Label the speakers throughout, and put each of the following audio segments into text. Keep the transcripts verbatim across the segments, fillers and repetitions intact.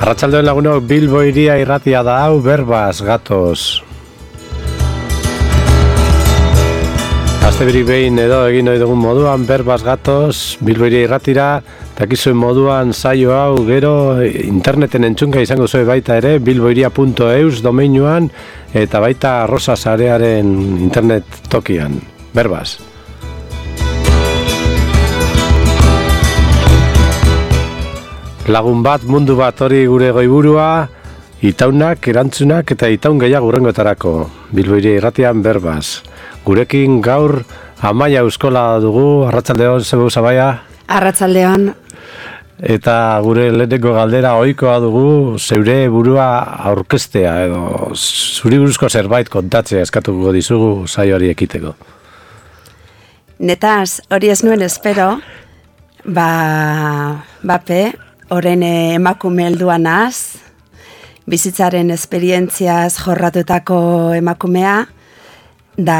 Speaker 1: Arratsaldeon lagunok, Bilbo hiria irratia da hau, berbaz gatoz. Astebirik behin edo egin ohi dugun moduan, berbaz gatoz, Bilbo hiria irratira, dakizuen moduan saio hau gero interneten entzunga izango zuen baita ere, bilbohiria puntu eus domeinuan, eta baita Rosa Sarearen internet tokian, berbaz. Lagun bat, mundu bat hori gure goiburua, itaunak, erantzunak eta itaun gehiago hurrengoetarako, Bilbo hiria irratian berbaz. Gurekin gaur Amaia Euskola dugu, arratsaldeon, zebeu Amaia?
Speaker 2: Arratsaldeon.
Speaker 1: Eta gure lehenengo galdera ohikoa dugu, zeure burua aurkeztea edo zuri buruzko zerbait kontatzea eskatuko dizugu saio hori ekiteko.
Speaker 2: Netaz, hori ez nuen espero, ba, bape, oren emakume helduan az, bizitzaren esperientziaz jorratutako emakumea, da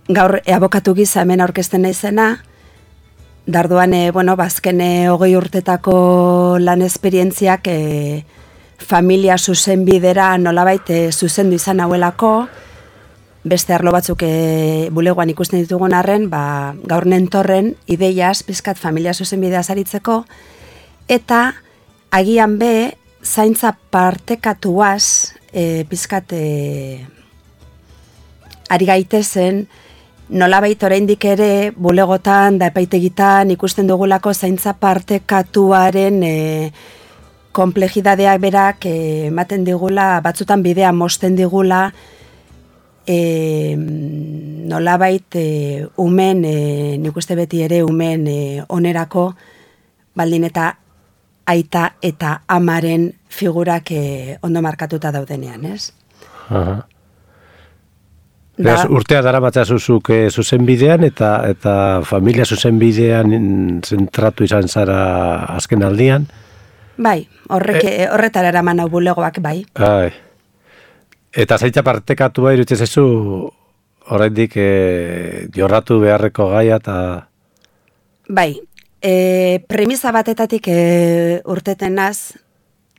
Speaker 2: gaur abokatu giza hemen aurkezten naizena, darduan, e, bueno, bazken hogei urtetako lan esperientziak e, familia zuzenbidera nolabait e, zuzendu izan hauelako, beste arlo batzuk e, bulegoan ikusten ditugun arren, ba, gaur nentorren ideiaz, pizkat familia zuzenbidea zaritzeko, eta agian be, zaintza partekatuaz, e, pizkat e, ari gaitezen, nolabait oraindik ere bulegotan da epaitegitan ikusten dugulako zaintza partekatuaren e, konplejidadeak berak ematen e, digula, batzutan bidea mosten digula, e, nolabait e, umen, e, nik uste beti ere umen e, onerako, baldin eta aita eta amaren figurak e, ondo markatuta daudenean, ez?
Speaker 1: Aha. Beraz, urtea dara batzazuzuk e, zuzenbidean eta eta familia zuzenbidean zentratu izan zara azken aldian?
Speaker 2: Bai, horrek, e, horretara eraman hau bulegoak, bai.
Speaker 1: Ai. Eta zaitza partekatua iruditzen zaizu oraindik e, jorratu beharreko gaia eta...
Speaker 2: Bai, e, premisa batetatik e, urteten naz,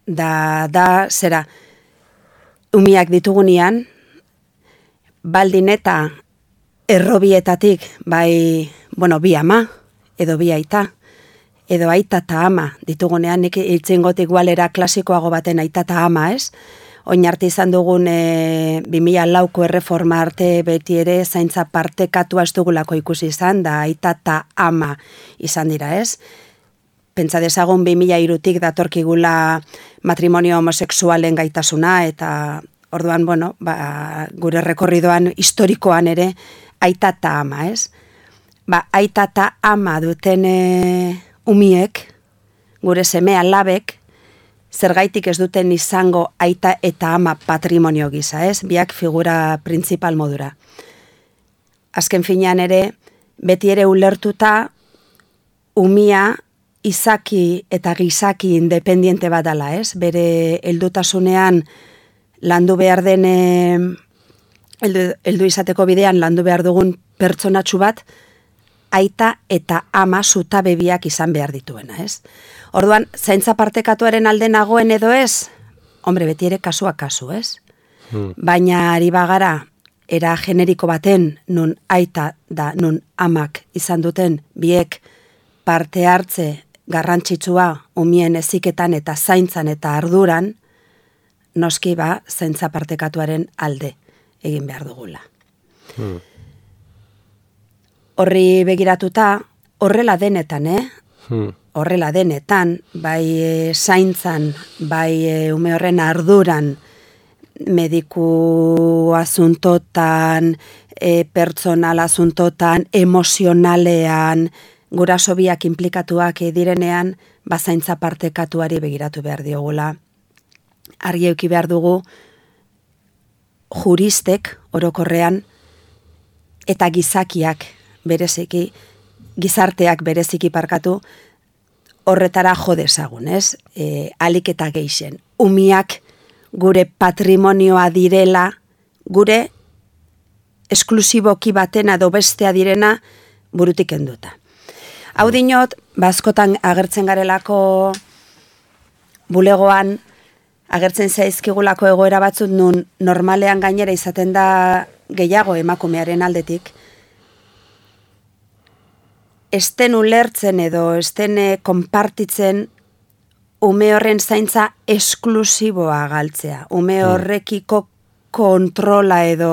Speaker 2: da, da, zera, umiak ditugunean, baldin eta errobietatik, bai, bueno, bi ama, edo bi aita, edo aita eta ama, ditugunean nik iltzingotik gualera klasikoago baten aita eta ama, ez? Oin arte izan dugun e, bi mila lauko erreforma arte beti ere zaintza partekatua ez dugulako ikusi izan, da aita eta ama izan dira, ez? Pentsa dezagun bi mila hirutik datorkigula matrimonio homosexualen gaitasuna, eta orduan, bueno, ba, gure rekorridoan historikoan ere aita eta ama, ez? Ba, aita eta ama duten e, umiek, gure seme alabek, zergaitik ez duten izango aita eta ama patrimonio gisa, ez? Biak figura printzipal modura. Azken finean ere, beti ere ulertuta, umia izaki eta gizaki independiente bat dela, ez? Bere heldutasunean, landu behar den, heldu, heldu izateko bidean, landu behar dugun pertsonatxu bat, aita eta ama zutabebiak izan behar dituena, ez? Orduan, zaintza partekatuaren alde nagoen edo ez, hombre, beti ere kasua kasu, ez? Hmm. Baina ari bagara, era generiko baten, nun aita da, nun amak izan duten, biek parte hartze garrantzitsua umien heziketan eta zaintzan eta arduran, noski ba, zaintza partekatuaren alde egin behar dugula. Hmm. Horri begiratuta, horrela denetan, eh? Hmm. Horrela denetan, bai e, zaintzan, bai e, ume horren arduran, mediku asuntotan, e, pertsonal asuntotan, emozionalean, guraso biak inplikatuak direnean, ba zaintza partekatuari begiratu behar diogula. Argi eduki behar dugu juristek orokorrean eta gizakiak bereziki, gizarteak bereziki parkatu, horretara jo dezagun, ez? E, alik eta geixen. Umiak gure patrimonioa direla, gure esklusiboki batena edo bestea direna burutik enduta. Hau dinot, bazkotan agertzen garelako bulegoan agertzen zaizkigulako egoera batzut nun normalean gainera izaten da gehiago emakumearen aldetik, esten ulertzen edo esten konpartitzen ume horren zaintza esklusiboa galtzea, ume horrekiko kontrola edo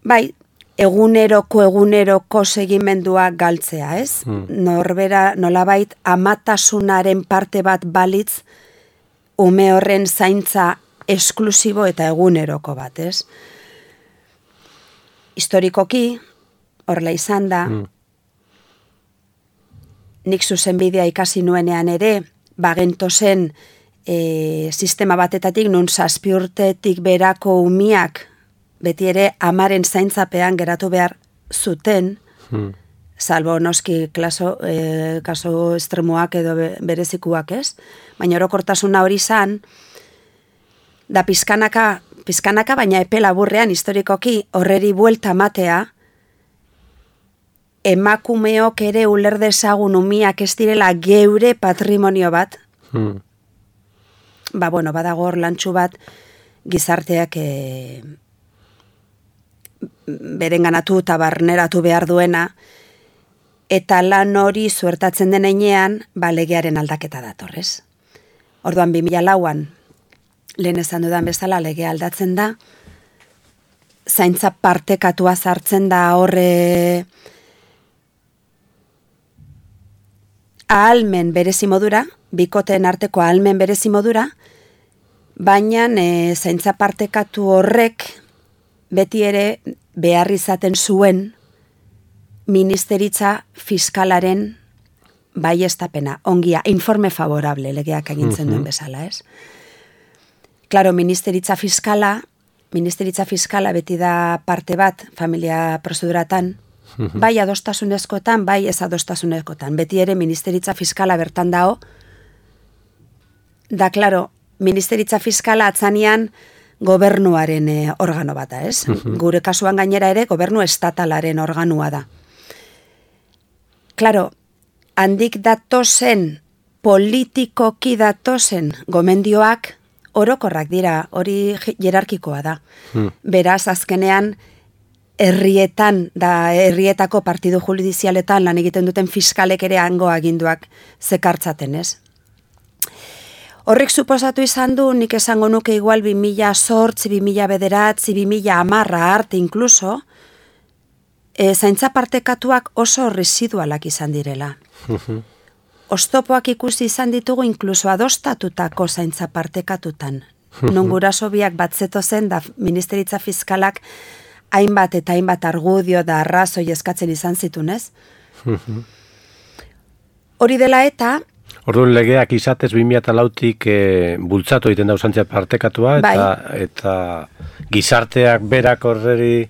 Speaker 2: bai, eguneroko eguneroko segimendua galtzea, ez? Hmm. Norbera nolabait amatasunaren parte bat balitz ume horren zaintza esklusibo eta eguneroko bat, ez? Historikoki, horrela izan da, hmm. nik zuzenbidea ikasi nuenean ere, bagentozen e, sistema batetatik, nun zazpi urtetik berako umiak, beti ere amaren zaintzapean geratu behar zuten, hmm. salbo noski klaso, e, kaso estremoak edo berezikuak, ez? Baina orokortasuna hori izan, da pizkanaka, pizkanaka baina epe laburrean historikoki horreri buelta matea, emakumeok ere uler dezagun umiak ez direla geure patrimonio bat, hmm. ba bueno, badago hor lantxu bat gizarteak e, berenganatu eta barneratu behar duena, eta lan hori zuertatzen den heinean, ba legearen aldaketa datorrez. Orduan bi mila lauan, lehen esan dudan bezala legea aldatzen da, zaintza partekatua sartzen da horre ahalmen berezi modura, bikoteen arteko ahalmen berezi modura, baina e, zaintza partekatu horrek beti ere behar izaten zuen ministeritza fiskalaren baiestapena, ongia, informe favorable legeak agintzen duen bezala, ez? Claro, ministeritza fiskala, ministeritza fiskala beti da parte bat familia prozeduratan, bai adostasunezkoetan, bai ez adostasunezkoetan. Beti ere ministeritza fiskala bertan dao, da, claro, ministeritza fiskala atzanean gobernuaren eh, organo bata, ez? Gure kasuan gainera ere gobernu estatalaren organua da. Claro, handik datozen, politikoki datozen gomendioak orokorrak dira, hori jerarkikoa da. Hmm. Beraz, azkenean, herrietan, da herrietako partidu judizialetan lan egiten duten fiskalek ere hango aginduak zekartzaten, ez? Horrek suposatu izan du, nik esango nuke igual bi mila zortzi, bi mila bederatzi, bi mila hamarra arte inkluso, e, zaintza partekatuak oso residualak izan direla. Oztopoak ikusi izan ditugu inkluso adostatutako zaintza partekatutan. Non guraso biak batzeto zen da ministeritza fiskalak hainbat eta hainbat argudio da arrazoi eskatzen izan zitunez. Hori dela eta...
Speaker 1: Orduan legeak izatez bi mila lautik e, bultzatu egiten da zaintza partekatua, eta, bai. Eta gizarteak berak horreri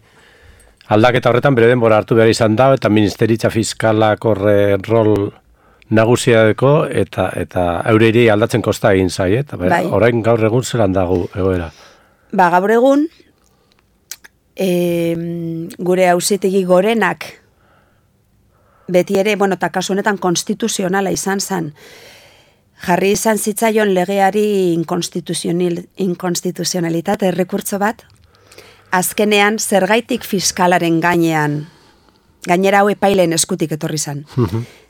Speaker 1: aldaketa horretan bere denbora hartu behar izan da, eta ministeritza fiskalak horre rol nagusia deko, eta, eta eureiri aldatzen kosta egin zai, eta bai. Orain gaur egun zelan dago egoera.
Speaker 2: Ba, gaur egun, e, gure auzitegi gorenak, beti ere, bueno, eta kasu honetan konstituzionala izan zen, jarri izan zitzaion legeari inkonstituzionalitate errekurtso bat, azkenean zergaitik fiskalaren gainean, gainera hau epaileen eskutik etorri zen,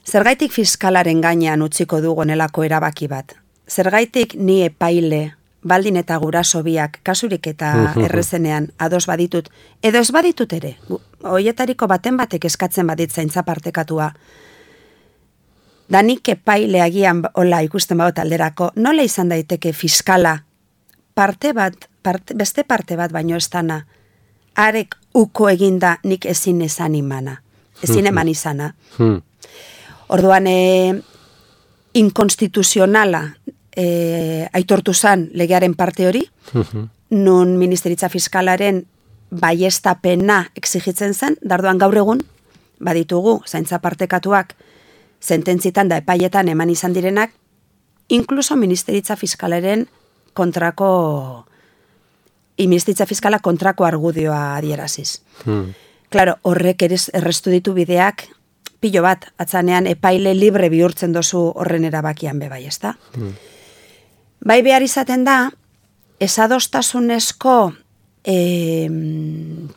Speaker 2: zergaitik fiskalaren gainean utziko dugu nelako erabaki bat, zergaitik ni epaile, baldin eta guraso biak, kasurik eta errezenean ados baditut, edo ez baditut ere, hoietariko baten batek eskatzen badit zaintza partekatua, da nik epaile agian hola ikusten badut alderako, nola izan daiteke fiskala parte bat, parte, beste parte bat baino ez dana, arek uko eginda nik ezin esan imana, ezin eman izana. Orduan, e, inkonstituzionala e, aitortu zan legearen parte hori, nun ministeritza fiskalaren baiestapena exigitzen zen, darduan gaur egun, baditugu, zaintza partekatuak, sententzitan da epaietan eman izan direnak, inkluso ministeritza fiskalaren kontrako, ministeritza fiskala kontrako argudioa adieraziz. Hmm. Claro, horrek ere errestu ditu bideak pilo bat, atzanean epaile libre bihurtzen dozu horren erabakian bebai, ez da? Mm. Bai behar izaten da, esadostasunezko e,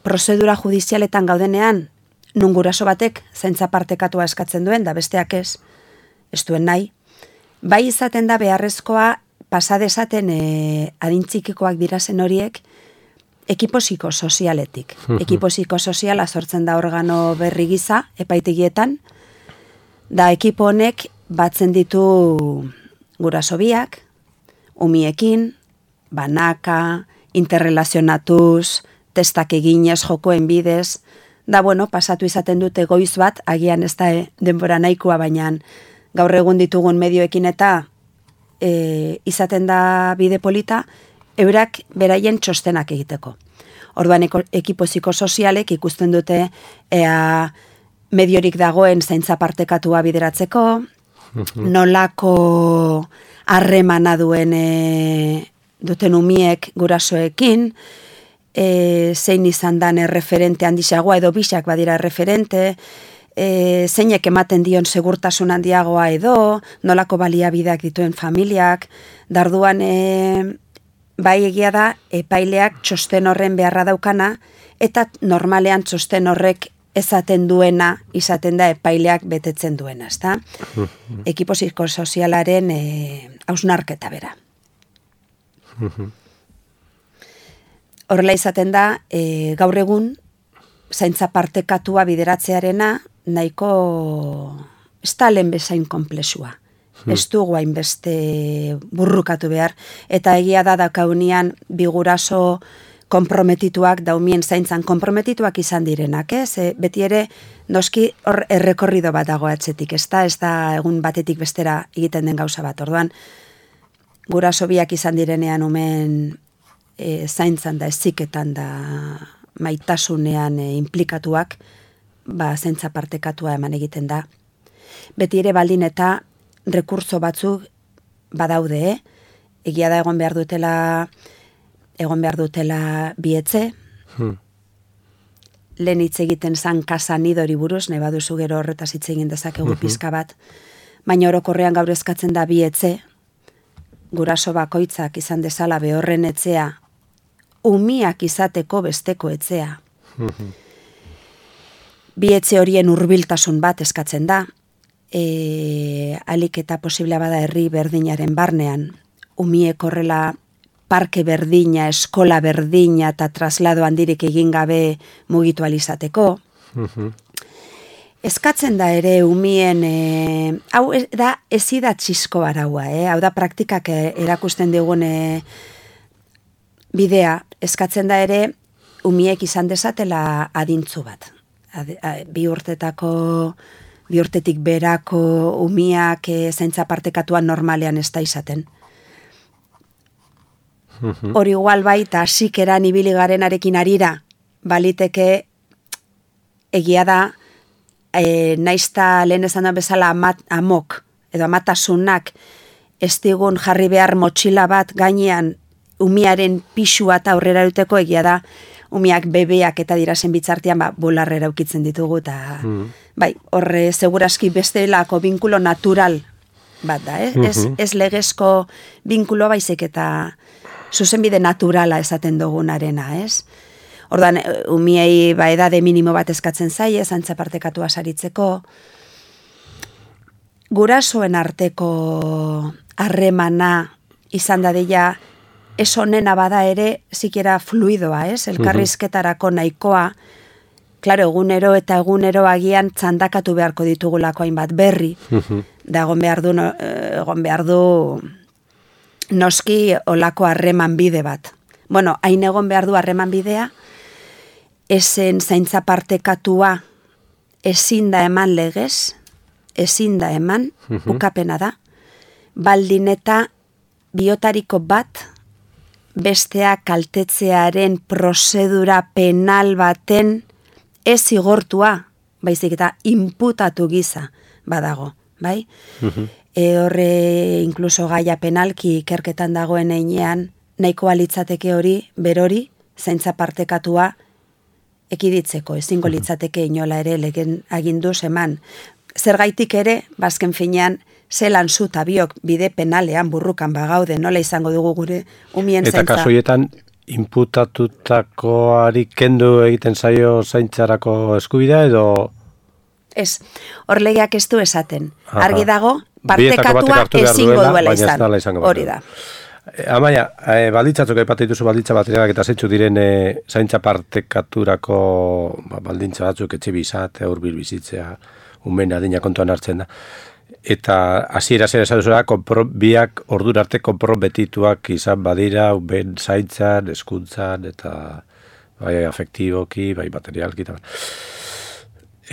Speaker 2: prozedura judizialetan gaudenean, nun guraso batek zaintza partekatua eskatzen duen, da besteak ez, ez duen nahi, bai izaten da beharrezkoa pasadezaten e, adintzikikoak dirazen horiek, ekipo psikosozialetik. Ekipo psikosoziala sortzen da organo berri giza, epaitegietan, da ekipo honek batzen ditu guraso biak, umiekin, banaka, interrelazionatuz, testak eginez, jokoen bidez, da bueno, pasatu izaten dute goiz bat, agian ez da e, denbora nahikoa, baina gaur egun ditugun medioekin eta e, izaten da bide polita, eurak beraien txostenak egiteko. Orduan ekipo psikosozialek ikusten dute ea mediorik dagoen zaintza partekatua bideratzeko, nolako harremana duen e, duten umiek gurasoekin, e, zein izan dan erreferente handiagoa edo bisak badira erreferente, e, zeinek ematen dion segurtasun handiagoa edo, nolako baliabideak dituen familiak, darduan e, bai egia da epaileak txosten horren beharra daukana, eta normalean txosten horrek ezaten duena, izaten da epaileak betetzen duena, ezta? Ekipo psikosozialaren e, hausnarketa bera. Horrela izaten da, e, gaur egun, zaintza partekatua bideratzearena, nahiko ez da lehen bezain konplexua. Ez dugu hainbeste burrukatu behar, eta egia da dakaunian biguraso konprometituak, daumien zaintzan konprometituak izan direnak, ez? E, beti ere, noski hor errekorrido bat dago atzetik, ez da, ez da egun batetik bestera egiten den gauza bat, orduan, guraso biak izan direnean umen e, zaintzan da, eziketan da, maitasunean e, implikatuak, ba, zaintza partekatua eman egiten da. Beti ere baldin eta rekurso batzuk badaude, eh? Egia da egon behar dutela egon behar dutela bietze, hmm. lehen hitz egiten zan kasanidori buruz, nahi baduzu gero horretaz hitz egin dezakegu pizka bat, baina orokorrean gaur eskatzen da bietze, guraso bakoitzak izan dezala behorren etzea, umiak izateko besteko etzea. Bietze horien hurbiltasun bat eskatzen da, E, alik eta posiblea bada herri berdinaren barnean, umiek horrela parke berdina, eskola berdina eta traslado handirik egin gabe mugitu alizateko. Uh-huh. Eskatzen da ere umien, e, hau da ezida txisko araua, eh? Hau da praktikak erakusten digun e, bidea, eskatzen da ere umiek izan dezatela adintzu bat. Ad, a, bi urtetako bi urtetik berako umiak e, zaintza partekatuan normalean ez da izaten. Hori igual baita hasikeran ibili garenarekin arira, baliteke egia da, e, naizta lehen esan da bezala amat, amok, edo amatasunak ez digun jarri behar motxila bat gainean umiaren pisua eta aurrera duteko, egia da, umiak bebeak eta dirazen bitzartian ba, bolarrera ukitzen ditugu, eta mm. bai, horre seguraski bestelako binkulo natural bat da, eh? Mm-hmm. ez, ez legezko binkulo baizik eta zuzenbide naturala esaten dugunarena, ez? Ordan umiei ba, edade minimo bat eskatzen zaie, zaintza partekatua saritzeko, gurasoen arteko harremana izan dadila, ez honena bada ere, zikera fluidoa, ez? Elkarrizketarako nahikoa, klaro, egunero eta egunero agian txandakatu beharko ditugulako hainbat berri, da egon behar du, egon behar du noski olako harreman bide bat. Bueno, hain egon behar du harreman bidea, esen zaintza partekatua ezin da eman legez, ezin da eman, ukapena da, baldin eta biotariko bat, bestea kaltetzearen prozedura penal baten ez zigortua, baizik eta inputatu giza badago, bai? Uh-huh. E horre inkluso gaia penalki ikerketan dagoen einean, nahiko alitzateke hori, berori, zaintza partekatua ekiditzeko, ezingo litzateke inola ere legen aginduz eman. Zergaitik ere, bazken finean, zelan zu eta biok bide penalean burrukan bagaude, nola izango dugu gure umien zaintza.
Speaker 1: Eta kasoietan, inputatutakoari kendu egiten zaio zaintzarako eskubidea edo...
Speaker 2: Ez, hor legeak ez du esaten.
Speaker 1: Aha.
Speaker 2: Argi dago, partekatua ezingo duela izan. Hori da.
Speaker 1: Amaia, e, baldintzatzuk aipatu dituzu baldintza baterak eta zeintzu diren e, zaintza partekaturako ba, baldintza batzuk etxe bizat, hurbil bizitzea, umen adina kontuan hartzen da. Eta hasiera zera esan duzula, biak ordura arte konprometituak izan badira, umen zaintzan, hezkuntzan eta bai afektiboki, bai materialki eta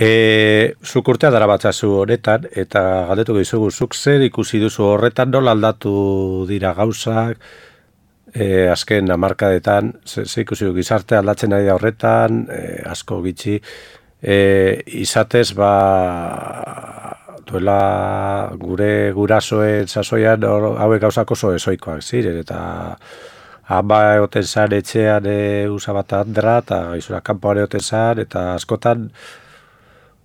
Speaker 1: E, zuk urtea dara batzazu horretan, eta galdetuko dizugu, zuk zer ikusi duzu horretan, nola aldatu dira gauzak, e, azken hamarkadetan, ze, ze ikusi du gizarte aldatzen ari da horretan, e, asko gitxi, e, izatez, ba, duela gure gurasoen sasoian hauek gauzak oso ezoikoak ziren, eta ama egoten zan etxean e, usabat handra, eta izura kanpoan egoten zan, eta askotan,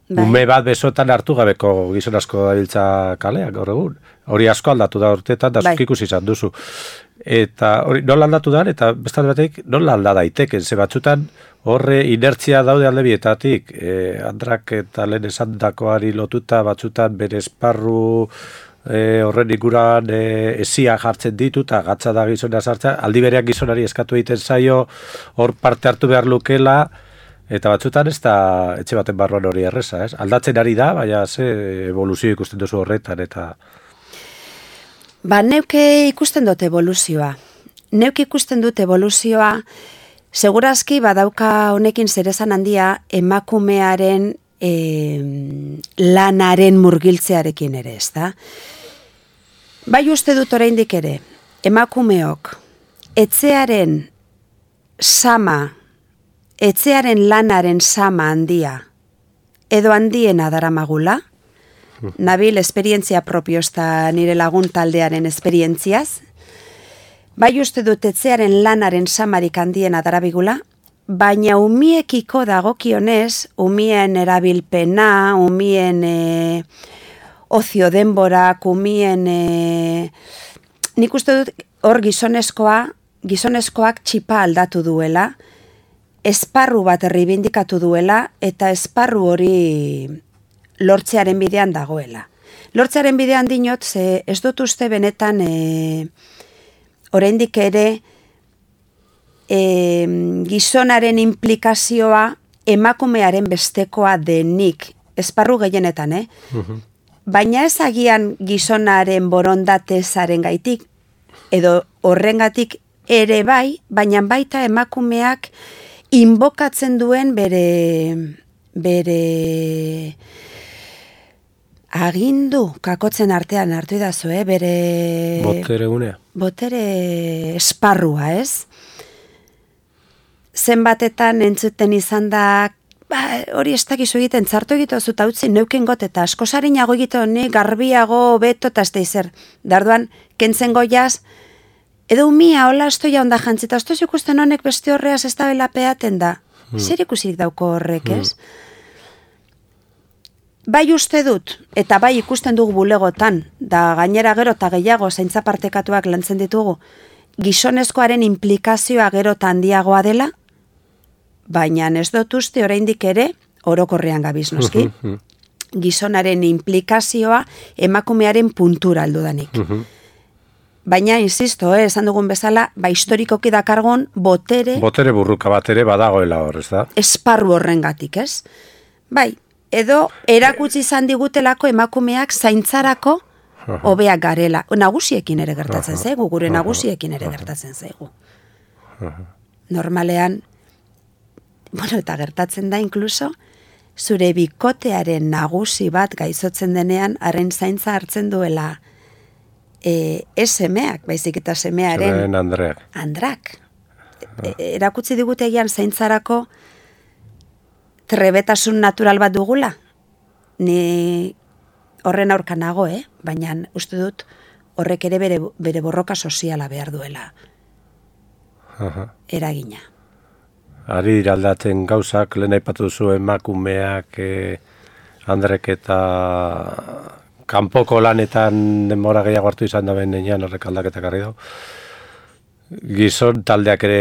Speaker 1: Bai. Ume bat besotan hartu gabeko gizon asko dabiltza kaleak gaur egun. Hori asko aldatu da urteetan, da zuk ikusi izan duzu. Eta hori nola aldatu da, eta bestalde batek nola alda daiteken, ze batzutan horre inertzia daude alde bietatik, e, andrak eta lehen esandakoari lotuta batzutan bere esparru e, horren ikuran e, esia jartzen ditu, eta gatza da gizona sartzea, aldi bereak gizonari eskatu egiten zaio, hor parte hartu behar lukela, eta batzutan ez da etxe baten barruan hori erreza, ez? Aldatzen ari da, baina ze evoluzio ikusten duzu horretan, eta...
Speaker 2: Ba, neuke ikusten dut evoluzioa. Neuke ikusten dut evoluzioa, segurazki badauka honekin zerezan handia emakumearen e, lanaren murgiltzearekin ere, ez da? Bai uste dut oraindik ere, emakumeok, etxearen sama, etxearen lanaren sama handia, edo handiena daramagula, nabil esperientzia propio ezta nire lagun taldearen esperientziaz, bai uste dut etxearen lanaren samarik handiena darabigula, baina umiekiko dagokionez, umien erabilpena, umien e, ozio denborak, umien e, nik uste dut hor gizonezkoa, gizonezkoak txipa aldatu duela, esparru bat erribindikatu duela eta esparru hori lortzearen bidean dagoela. Lortzearen bidean dinot, ze ez dut uste benetan e, oraindik ere e, gizonaren implikazioa emakumearen bestekoa denik, esparru gehienetan, eh? Uh-huh. Baina ez agian gizonaren borondatezaren gaitik, edo horrengatik ere bai, baina baita emakumeak inbokatzen duen bere bere agindu kakotzen artean hartu idazu, eh? Bere
Speaker 1: botere gunea.
Speaker 2: Botere esparrua, ez? Zenbatetan entzuten izan da, ba, hori ez dakizu egiten, txartu egiten zuta utzi neuken got, eta asko sarinago egiten honi, garbiago, beto, eta ez da izer. Darduan, kentzen goiaz, edo umia, hola, estoia onda jantzita, esto ikusten honek beste horreaz ez da bela peaten da. Hmm. Zer ikusik dauko horrek, ez? Hmm. Bai uste dut, eta bai ikusten dugu bulegotan, da gainera gero eta gehiago zaintza partekatuak lantzen ditugu, gizonezkoaren implikazioa gero eta handiagoa dela, baina ez dut uste oraindik ere, orokorrean gabiz noski, gizonaren implikazioa emakumearen puntura aldudanik. Baina, insisto, eh, esan dugun bezala, ba, historikoki dakargon botere...
Speaker 1: Botere burruka bat ere badagoela hor, ez da?
Speaker 2: Esparru horrengatik, ez? Bai, edo erakutsi izan digutelako emakumeak zaintzarako hobeak garela. Nagusiekin ere gertatzen zaigu, gure nagusiekin ere gertatzen zaigu. Normalean, bueno, eta gertatzen da inkluso, zure bikotearen nagusi bat gaizotzen denean, haren zaintza hartzen duela E, ez semeak, baizik eta semearen...
Speaker 1: Semearen andreak.
Speaker 2: Andrak. E, erakutsi digutegian zaintzarako trebetasun natural bat dugula. Ni horren aurka nago, eh? Baina uste dut horrek ere bere, bere borroka soziala behar duela. Aha. Eragina.
Speaker 1: ari dira aldatzen gauzak, lehen aipatu duzu emakumeak, e, Andrek eta kanpoko lanetan denbora gehiago hartu izan da benean horrek aldaketak harri dau. Gizon taldeak ere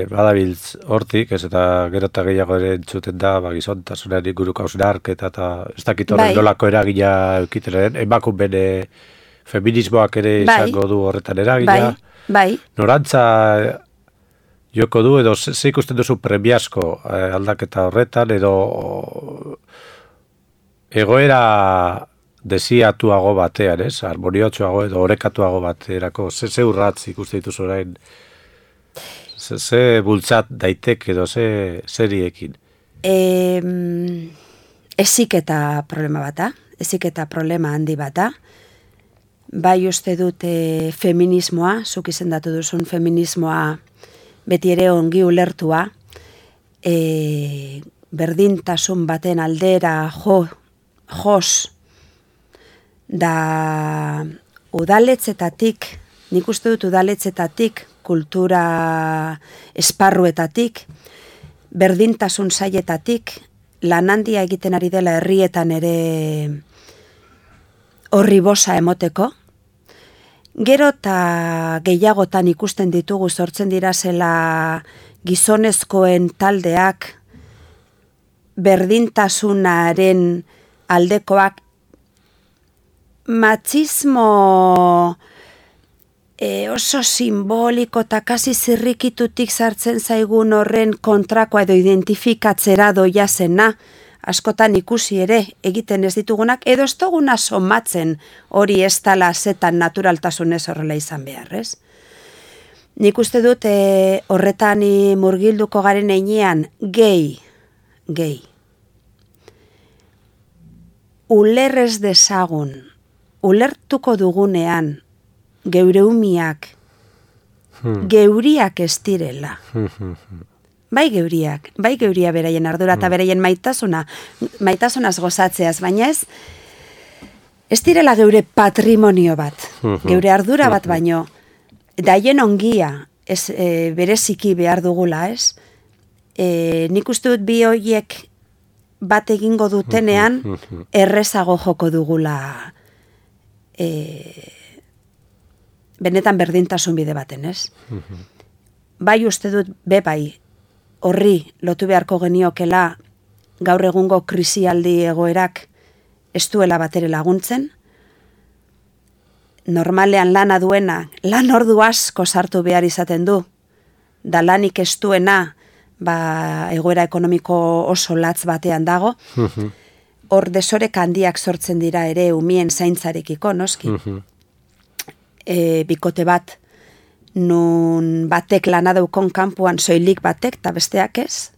Speaker 1: badabiltz hortik, ez eta gero eta gehiago ere entzuten da, ba, gizon tasunari guruko hausnarketa eta ez dakit horren
Speaker 2: Bai.
Speaker 1: nolako eragila eukiteren, emakun bene feminismoak ere
Speaker 2: Bai.
Speaker 1: izango du horretan eragila.
Speaker 2: Bai, bai.
Speaker 1: Norantza joko du, edo ze ze ikusten duzu premiazko eh, aldaketa horretan, edo egoera desiatuago batean, ez? Harmoniotsuago edo orekatuago baterako, ze ze urratz ikuste dituzu orain, ze, ze bultzat daitek edo ze zeriekin.
Speaker 2: E, eziketa problema bata, eziketa problema handi bata. Bai uste dute feminismoa, zuk izendatu duzun feminismoa beti ere ongi ulertua, e, berdintasun baten aldera jo, jos, da udaletzetatik, nik uste dut udaletzetatik, kultura esparruetatik, berdintasun sailetatik, lan handia egiten ari dela herrietan ere horri bosa emoteko. Gero eta gehiagotan ikusten ditugu sortzen dira zela gizonezkoen taldeak berdintasunaren aldekoak, matxismo e, oso simboliko eta kasi zirrikitutik sartzen zaigun horren kontrakoa edo identifikatzera doia zena, askotan ikusi ere egiten ez ditugunak, edo ez duguna somatzen hori ez dala zetan naturaltasunez horrela izan behar, ez? Nik uste dut e, horretan murgilduko garen einean gehi, gehi. Ulerrez dezagun, ulertuko dugunean geure umiak, hmm. geuriak ez direla. Bai geuriak, bai geuria beraien ardura eta beraien maitasuna, maitasunaz gozatzeaz, baina ez, ez direla geure patrimonio bat, geure ardura bat baino, daien ongia ez, e, bereziki behar dugula, ez? E, nik uste dut bi horiek bat egingo dutenean, errezago joko dugula e, benetan berdintasun bide baten, ez? Bai uste dut, be bai, horri lotu beharko geniokela gaur egungo krisialdi egoerak ez duela batere laguntzen, normalean lana duena, lan ordu asko sartu behar izaten du, da lanik ez duena, ba, egoera ekonomiko oso latz batean dago, hor desorek handiak sortzen dira ere umien zaintzarekiko, noski. E, bikote bat, nun batek lana daukon kanpuan soilik batek, eta besteak ez.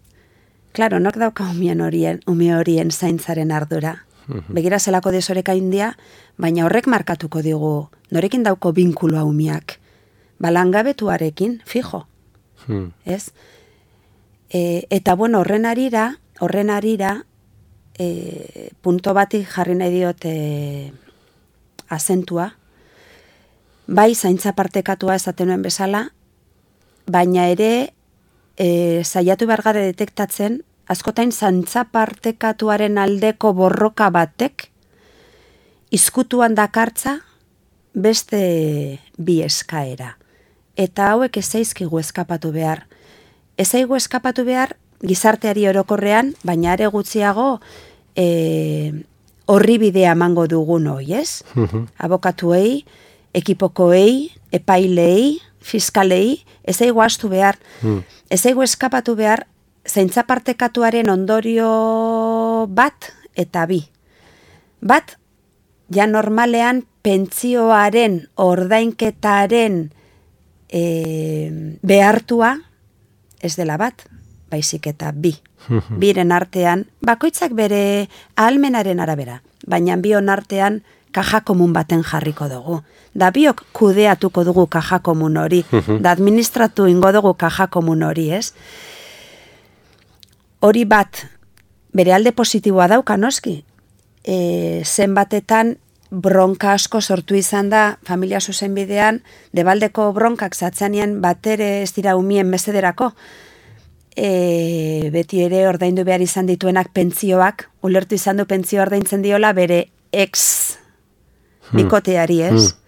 Speaker 2: Klaro, nok dauka umien horien, ume horien zaintzaren ardura. Begira zelako desoreka india, baina horrek markatuko digu, norekin dauko binkuloa umiak. Balangabetuarekin, fijo. Ez? E, eta bueno, horren arira, horren arira, e, punto batik jarri nahi diot e, azentua, bai zaintza partekatua esaten nuen bezala, baina ere e, saiatu behar gara detektatzen, askotain zaintza partekatuaren aldeko borroka batek, izkutuan dakartza beste bi eskaera. Eta hauek ez zaizkigu eskapatu behar. Ez zaigu eskapatu behar gizarteari orokorrean, baina are gutxiago e, horri bidea emango dugun hoi, ez? Abokatuei, ekipokoei, epailei, fiskalei, ez zaigu astu behar. Ez zaigu eskapatu behar zaintza partekatuaren ondorio bat eta bi. Bat, ja normalean pentsioaren ordainketaren e, behartua, ez dela bat, baizik eta bi. Biren artean, bakoitzak bere ahalmenaren arabera, baina bion artean kaja komun baten jarriko dugu. Da biok kudeatuko dugu kaja komun hori, da administratu ingo dugu kaja komun hori, ez? Hori bat, bere alde positiboa dauka noski, e, zenbatetan bronka asko sortu izan da familia zuzenbidean, debaldeko bronkak zatzanean batere ez dira umien mesederako, e, beti ere ordaindu behar izan dituenak pentzioak, ulertu izan du pentzio ordaintzen diola bere ex bikoteari, ez? Hmm.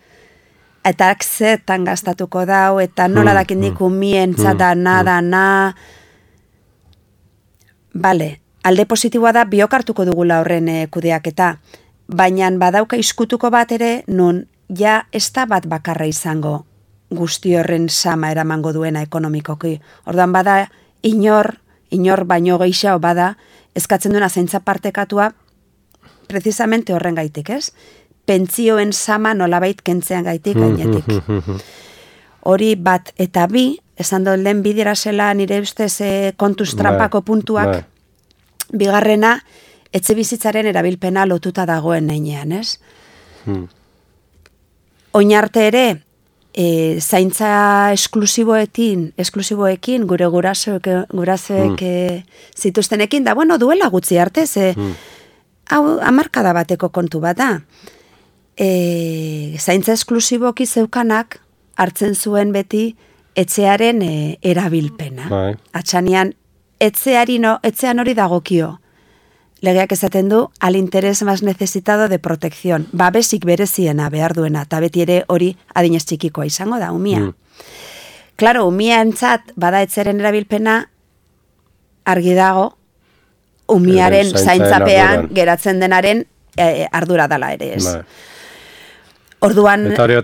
Speaker 2: Eta akzetan gastatuko dau, eta nola hmm. dakindik umien zada, hmm. nada, na. Bale, alde positiboa da biokartuko dugula horren e, kudeaketa, baina badauka iskutuko bat ere, nun ja ez da bat bakarra izango guzti horren sama eramango duena ekonomikoki. Orduan bada, inor, inor baino gehiago bada, eskatzen duena zaintza partekatua, precisamente horren gaitik, ez? Pentzioen sama nolabait kentzean gaitik gainetik. Hori bat eta bi, esan dut lehen bidera zela nire ustez e, kontuz trampako puntuak, bigarrena, etxe bizitzaren erabilpena lotuta dagoen neinean, ez? Hmm. Oinarte ere, e, zaintza esklusiboekin, esklusiboekin, gure gurasoek, gurasoek hmm. zituztenekin, da, bueno, duela gutxi arte, ze, hmm. hau, hamarkada bateko kontu bat da. E, zaintza esklusiboki zeukanak, hartzen zuen beti, etxearen e, erabilpena. Bai. Atxanian, etxeari no, etxean hori dagokio. Legeak esaten du, al interes más necesitado de protección. Babesik bereziena behar duena, eta beti ere hori adinez txikikoa izango da, umia. Mm. Claro, umia entzat, bada etxeren erabilpena, argi dago, umiaren e, zaintzapean geratzen denaren e, ardura dala ere, ez. Ba. Orduan...
Speaker 1: Eta hori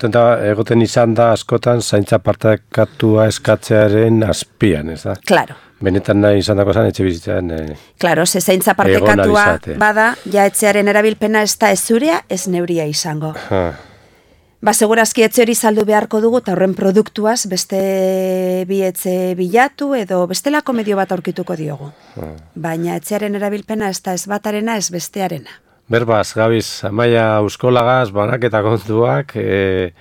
Speaker 1: egoten izan da askotan zaintza partekatua eskatzearen azpian, ez da?
Speaker 2: Claro.
Speaker 1: Benetan nahi izan dako zan, etxe bizitzaren... Eh,
Speaker 2: claro, ze zaintza partekatua bada, ja etxearen erabilpena ez da ez zurea, ez neuria izango. Ha. Ba, segurazki etxe hori saldu beharko dugu, eta horren produktuaz beste bi etxe bilatu, edo bestelako medio bat aurkituko diogu. Ha. Baina etxearen erabilpena ez da ez batarena, ez bestearena.
Speaker 1: Berbaz, Gabiz, Amaia Euskolagaz, banaketa kontuak, e,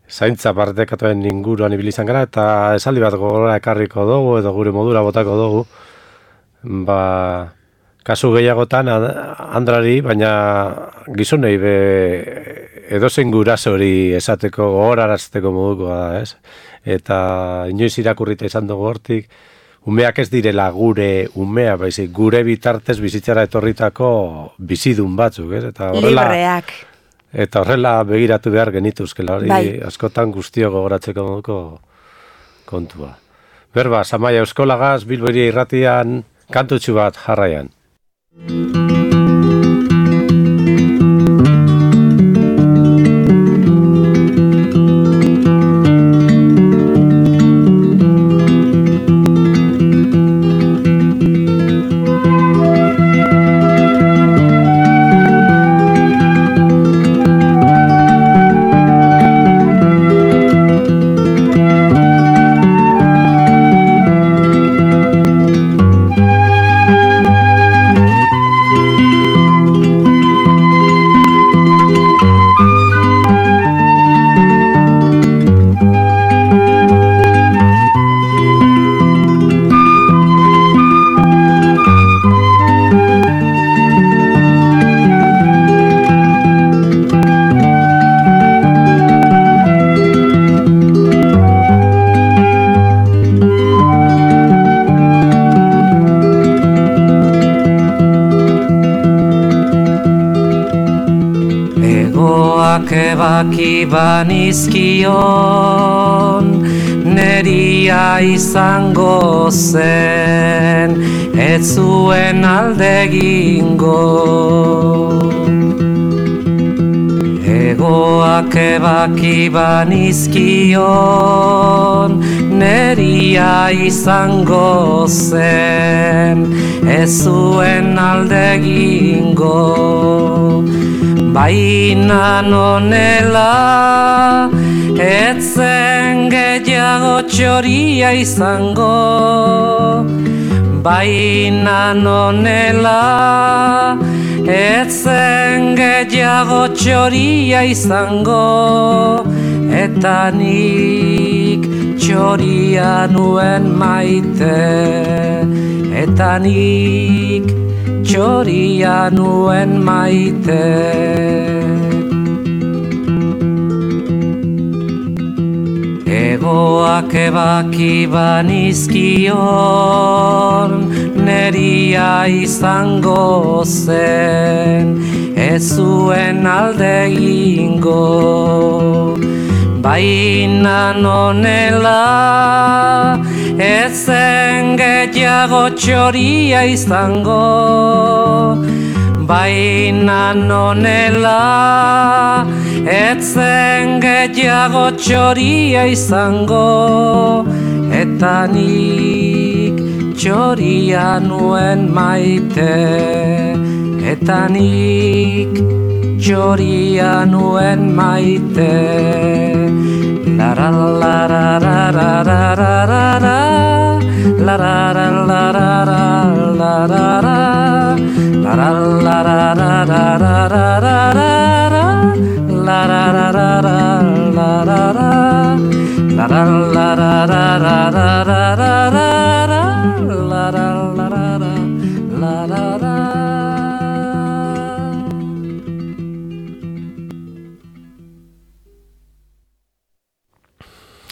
Speaker 1: zaintza partekatuen inguruan ibili izan gara, eta esaldi bat gogora ekarriko dugu, edo gure modura botako dugu. Ba, kasu gehiagotan, Andrari, baina gizonei be, edozein guraso hori esateko, gogorarazteko modukoa da, ez? Eta inoiz irakurrita izan dugu hortik, umeak ez direla gure umea, baizik, gure bitartez bizitzara etorritako bizidun batzuk, ez? Eta horrela,
Speaker 2: libreak.
Speaker 1: Eta horrela begiratu behar genituzkela, hori bai. Askotan guztio gogoratzeko moduko kontua. Berba, Amaia Euskolagaz, Bilbo Hiria Irratian, kantutxu bat jarraian.
Speaker 3: Ebaki banizkion neria izango zen, ez zuen alde egingo. Egoak ebaki banizkion neria izango zen, ez zuen alde egingo. Baina nonela, etzen gehiago txoria izango. Baina nonela, etzen gehiago txoria izango. Eta nik txoria nuen maite, eta nik txoria nuen maite. Lepoak ebaki banizkion, neria izango zen, ez zuen alde egingo. Baina nonela, ez zen gehiago txoria izango. Baina nonela, ez zen gehiago txoria izango, eta nik txoria nuen maite, eta nik txoria nuen maite. Lara lara lara lara lara lara lara lara La la la la la la la la la la la la la la la la la la.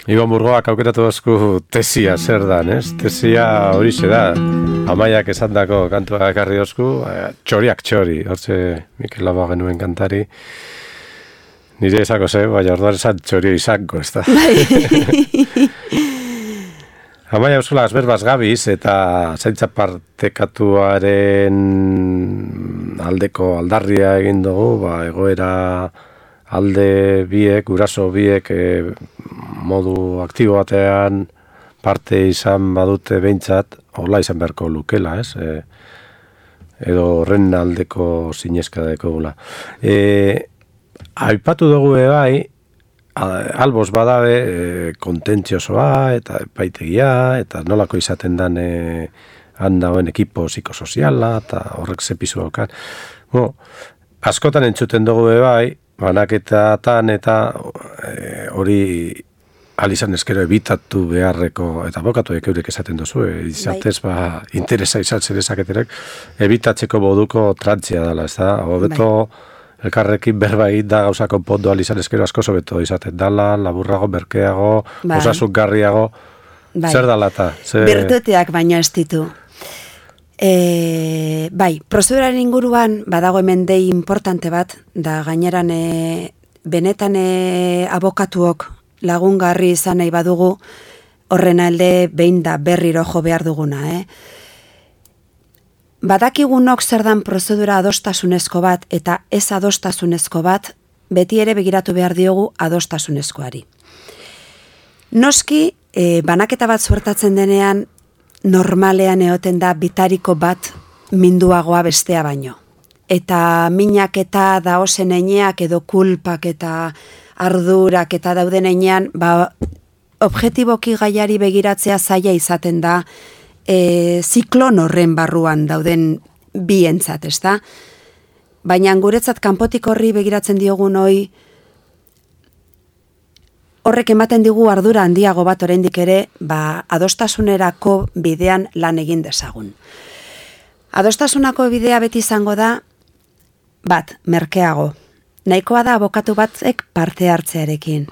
Speaker 1: Ibon Burgoak aukeratu dozku tesia zer dan, ez? Tesia horixe da, Amaiak esandako kantua ekarri dozku, txoriak txori, hortze Mikel Laboa genuen kantari, nire esako ze, baina orduan esan txori izango, ez da? Amaia euskula azberbaz gabiz eta zaintza partekatuaren aldeko aldarria egin dugu, ba, egoera alde biek, guraso biek e, modu aktibo batean parte izan badute behintzat, hola izan beharko lukela, ez? E, edo horren aldeko zinezka dekogula. E, aipatu dugu bai, albos badabe e, kontentziosoa eta epaitegia, eta nolako izaten dan e, handauen ekipo psikosoziala, eta horrek zepizu daukan. Bueno, askotan entzuten dugu bai, banaketatan eta e, hori alizan eskero ebitatu beharreko, eta abokatuek eurek esaten dozu, e, izatez ba, interesa izan zerezaketerek, ebitatzeko moduko trantzia dela, ez da? Hobeto elkarrekin berbait da gauza konpondu alizan eskero asko sobeto izaten dala, laburrago, merkeago, bai. Osasungarriago, bai. Zer dala eta? Zer...
Speaker 2: Bertuteak baino ez ditu. E, bai, prozeduraren inguruan badago hemen dei importante bat, da gaineran e, benetan e, abokatuok lagungarri izan nahi badugu, horren alde behin da berriro jo behar duguna. Eh? Badakigunok zer dan prozedura adostasunezko bat eta ez adostasunezko bat, beti ere begiratu behar diogu adostasunezkoari. Noski, e, banaketa bat suertatzen denean, normalean egoten da bitariko bat minduagoa bestea baino. Eta minak eta daozen eineak edo kulpak eta ardurak eta dauden einean, ba, objetiboki gaiari begiratzea zaila izaten da e, ziklon horren barruan dauden bientzat, ez da? Baina guretzat kanpotik horri begiratzen diogun hoi, horrek ematen digu ardura handiago bat oraindik ere, ba, adostasunerako bidean lan egin dezagun. Adostasunako bidea beti izango da, bat, merkeago. Nahikoa da abokatu batek parte hartzearekin.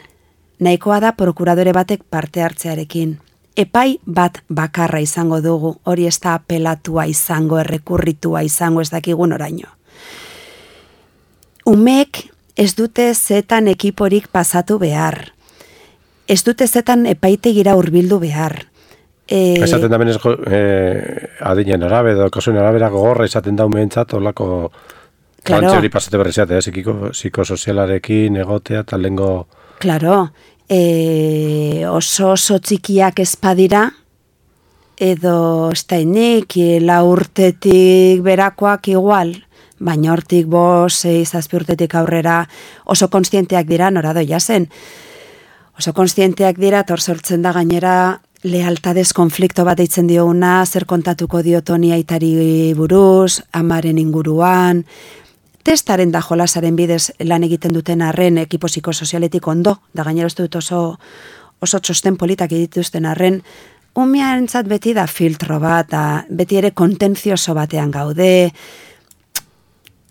Speaker 2: Nahikoa da prokuradore batek parte hartzearekin. Epai bat bakarra izango dugu, hori ez da apelatua izango, errekurritua izango, ez dakigun oraino. Umek ez dute zetan ekiporik pasatu behar. Ez dute zetan epaitegira hurbildu behar. E...
Speaker 1: Esaten da benez eh, adinen arabe, edo kasuen arabera gogorra izaten da umentzat, olako klantze hori pasate berrizatea, eh? Psikosozialarekin egotea, eta lengo...
Speaker 2: Claro, e, oso oso txikiak ezpadira, edo ez da inik, la urtetik berakoak igual, baina hortik bos, zazpi urtetik aurrera oso konstienteak dira, nora doia zen. Oso konstienteak dira, tor sortzen da gainera lealtadez konflikto bat eitzen dioguna, zer kontatuko dio Toni aitari buruz, amaren inguruan, testaren da jolasaren bidez lan egiten duten arren ekipo psikosozialetik ondo, da gainera ez dut oso, oso txosten politak dituzten arren, umearentzat beti da filtro bat, da beti ere kontentzioso batean gaude,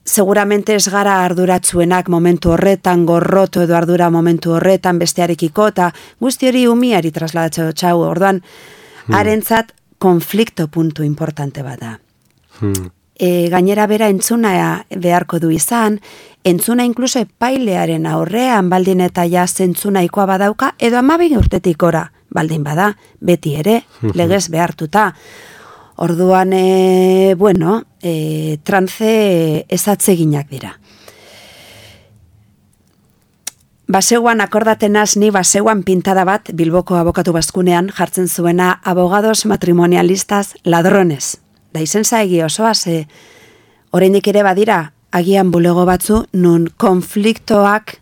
Speaker 2: seguramente ez gara arduratzuenak momentu horretan, gorroto edo ardura momentu horretan, bestearekiko, eta guzti hori umiari trasladatxo txau, orduan, hmm. harentzat konflikto puntu importante bada. Hmm. E, gainera bera entzuna beharko du izan, entzuna inkluso epailearen aurrean baldin eta ja zentzunaikoa badauka, edo amabin urtetik ora baldin bada, beti ere, legez behartuta. Orduan, e, bueno, e, trance ezatzeginak dira. Baseuan akordatenaz ni baseuan pintada bat Bilboko abokatu bazkunean jartzen zuena abogados matrimonialistas ladrones. Da izen zaigi osoa, ze oraindik ere badira, agian bulego batzu, nun konfliktoak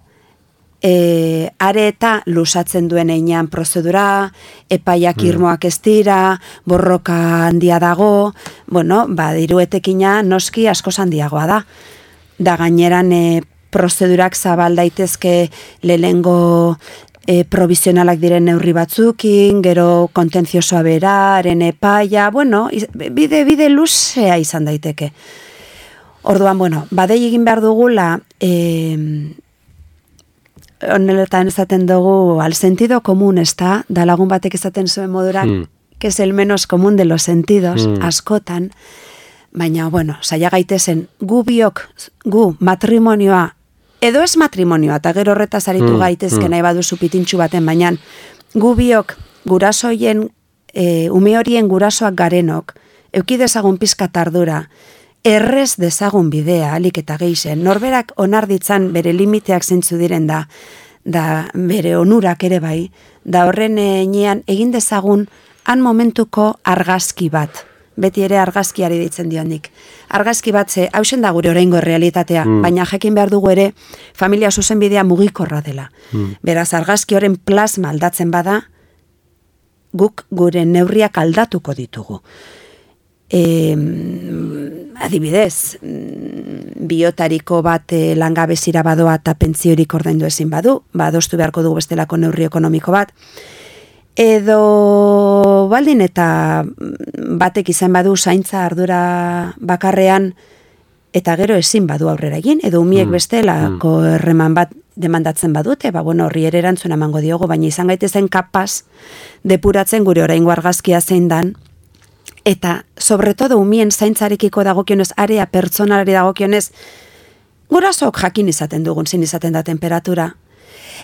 Speaker 2: e, are eta lusatzen duen einean prozedura, epaiak irmoak ez dira, borroka handia dago, bueno, ba, diruetekina noski asko handiagoa da. Da gaineran e, prozedurak zabal daitezke lehengo e, provizionalak diren neurri batzukin, gero kontentziosoa beraren epaia, bueno, bide, bide luzea izan daiteke. Orduan, bueno, badei egin behar dugula, e, oneletan esaten dugu, al sentido común, ez da, da lagun batek esaten zuen modurak, mm. que es el menos común de los sentidos, mm. askotan, baina, bueno, saia gaitezen, gu biok, gu matrimonioa, edo ez matrimonioa, eta gero horretaz aritu mm. gaitezke nahi baduzu pitintxu baten, baina gu biok, gurasoien, e, ume horien gurasoak garenok, eukidezagun pizkat ardura, errez dezagun bidea, alik eta geixen, norberak onar ditzan bere limiteak zentzu diren da, da bere onurak ere bai, da horren enean egin dezagun han momentuko argazki bat, beti ere argazkiari ditzen dionik. Argazki bat ze, hausen da gure oraingo realitatea, mm. baina jakin behar dugu ere, familia zuzenbidea mugikorra dela. Mm. Beraz, argazki horren plasma aldatzen bada, guk gure neurriak aldatuko ditugu. E, adibidez, biotariko bat e, langabezira badoa eta pentziorik ordaindu ezin badu, badostu beharko dugu bestelako neurri ekonomiko bat, edo baldin eta batek izan badu zaintza ardura bakarrean eta gero ezin badu aurrera egin, edo umiek mm. bestelako erreman bat demandatzen badute, ba bueno, horri ere erantzuna emango diogu, baina izan gaitezen kapaz depuratzen gure oraingo argazkia zein dan, eta sobretodo umien zaintzarekiko dagokionez, area pertsonalari dagokionez, gurasok jakin izaten dugun, zin izaten da temperatura.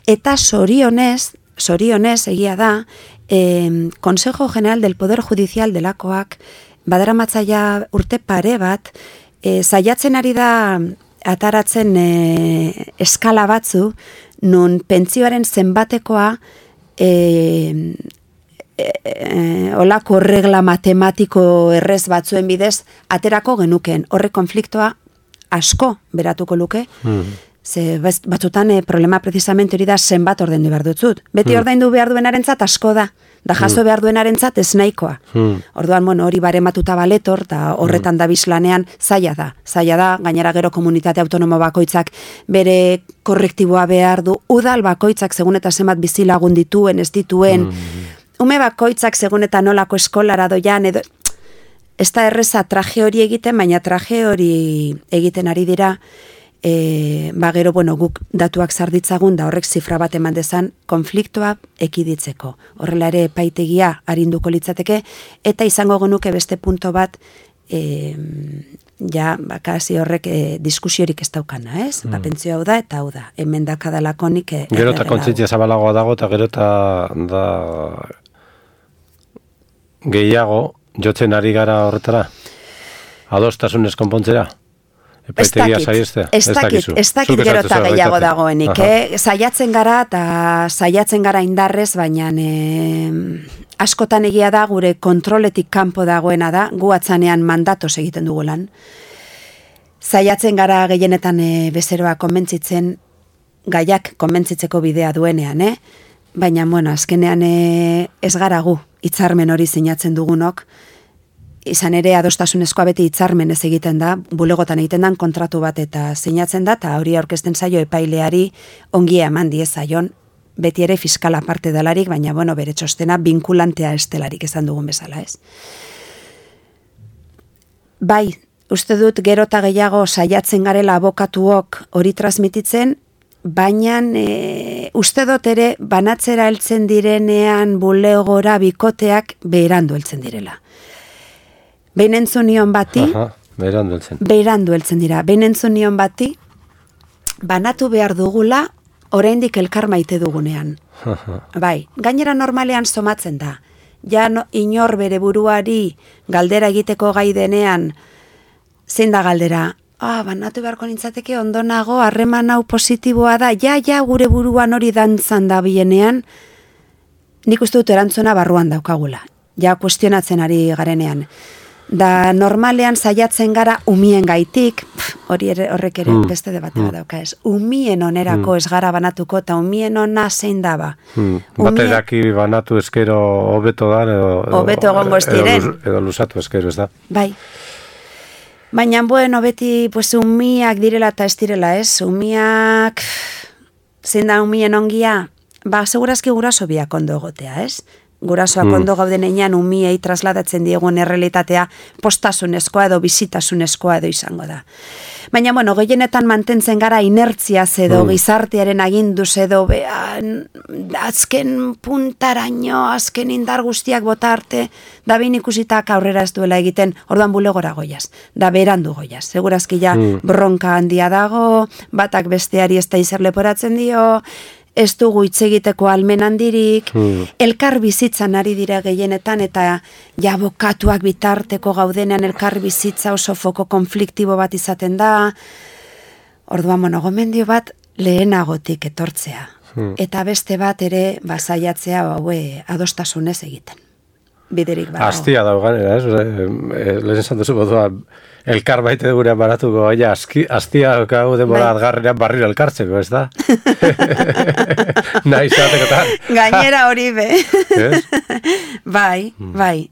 Speaker 2: Eta sorionez, sorionez egia da, eh, Consejo General del Poder Judicial delakoak, badaramatzaia urte pare bat, eh, saiatzen ari da ataratzen eh, eskala batzu, nun pentsioaren zenbatekoa eh, E, e, olako regla matematiko errez batzuen bidez aterako genuken. Horre konfliktoa asko beratuko luke, mm. ze batzutan e, problema precisamente hori da zenbat ordaindu behar dutzut. Beti mm. ordaindu behar duenarentzat asko da, da jaso mm. behar duenarentzat ez nahikoa. Mm. Orduan, bueno, hori barematuta baletor, eta horretan mm. da bizlanean zaila da. Zaila da, gainera gero komunitate autonomo bakoitzak bere korrektiboa behar du, udal bakoitzak segun eta zenbat bizilagun dituen, ez dituen, mm. ume bakoitzak segun eta nolako eskolara doian, edo, ez da erreza traje hori egiten, baina traje hori egiten ari dira, e, ba gero, bueno, guk datuak zarditzagun, da horrek zifra bat eman dezan, konfliktoa ekiditzeko. Horrela ere epaitegia arinduko litzateke, eta izango genuke beste punto bat, e, ja, bakasi horrek e, diskusiorik ez daukana, ez? Mm. Ba, pentsio hau da, eta hau da. Hemen dakadalakonik... E,
Speaker 1: gero eta kontzientzia zabalagoa dago, eta gero eta da gehiago jotzen ari gara horretara? Adostasunez konpontzera? Epaitegia saiestea?
Speaker 2: Ez dakit, ez dakit gero eta gehiago dagoenik. Eh? Saiatzen gara eta saiatzen gara indarrez, baina eh, askotan egia da gure kontroletik kanpo dagoena da, gu atzanean mandatos egiten dugu lan. Saiatzen gara gehienetan eh, bezeroa konbentzitzen, gaiak konbentzitzeko bidea duenean, eh? Baina, bueno, azkenean eh, ez gara gu, hitzarmen hori sinatzen dugunok, izan ere adostasunezkoa beti hitzarmen ez egiten da, bulegotan egiten dan kontratu bat eta sinatzen da, eta hori aurkezten zaio epaileari ongia eman diezaion, beti ere fiskala parte delarik, baina bueno, bere txostena binkulantea estelarik esan dugun bezala, ez? Bai, uste dut gero eta gehiago saiatzen garela abokatuok hori transmititzen, baina e, uste dut ere banatzera heltzen direnean bulegora bikoteak beherandu heltzen direla. Behin entzun nion bati,
Speaker 1: Aha, beherandu heltzen.
Speaker 2: beherandu heltzen dira, behin entzun nion bati, banatu behar dugula, oraindik elkar maite dugunean. Bai, gainera normalean somatzen da. Ja no, inor bere buruari galdera egiteko gai denean, zein da galdera? Ah, banatu beharko nintzateke ondo nago, harreman hau positiboa da, ja, ja, gure buruan hori dantzan da bienean, nik uste dut erantzuna barruan daukagula. Ja, kuestionatzen ari garenean. Da normalean saiatzen gara umien gaitik, hori ere, horrek ere
Speaker 1: mm.
Speaker 2: beste debate bat dauka ez. Umien onerako mm. ez gara banatuko, eta umien ona zein daba.
Speaker 1: Mm. Bate daki banatu eskero hobeto da, edo,
Speaker 2: hobeto egongo ez diren.
Speaker 1: Edo, edo lusatu eskero ez da.
Speaker 2: Bai. Baina, bueno, beti, pues, umiak direla eta ez direla, ez? Umiak, zein da umien ongia? Ba, segurazki guraso biak ondo egotea, ez? Gurasoak mm. ondo gauden einan umiei trasladatzen diegun errealitatea postasunezkoa edo bizitasunezkoa edo izango da. Baina, bueno, gehienetan mantentzen gara inertziaz edo mm. gizartearen aginduz edo bea, azken puntaraino, azken indar guztiak bota arte, da behin ikusitak aurrera ez duela egiten, orduan bulegora goiaz, da berandu goiaz. Segurazki ja mm. bronka handia dago, batak besteari ez da izer leporatzen dio, ez dugu hitz egiteko almen handirik, hmm. elkar bizitzan ari dira gehienetan, eta ja bokatuak bitarteko gaudenean elkar bizitza oso foko konfliktibo bat izaten da. Orduan, bueno, gomendio bat lehenagotik etortzea. Hmm. Eta beste bat ere basaiatzea haue adostasunez egiten. Biderik badago.
Speaker 1: Astia daugan, ez? Lehen esan duzu botua, elkar baite gurean baratuko, aia, astia gau denbora bai. Adgarrenean barriro elkartzeko, ez da? Nahi zateko eta...
Speaker 2: Gainera hori be. Bai, bai.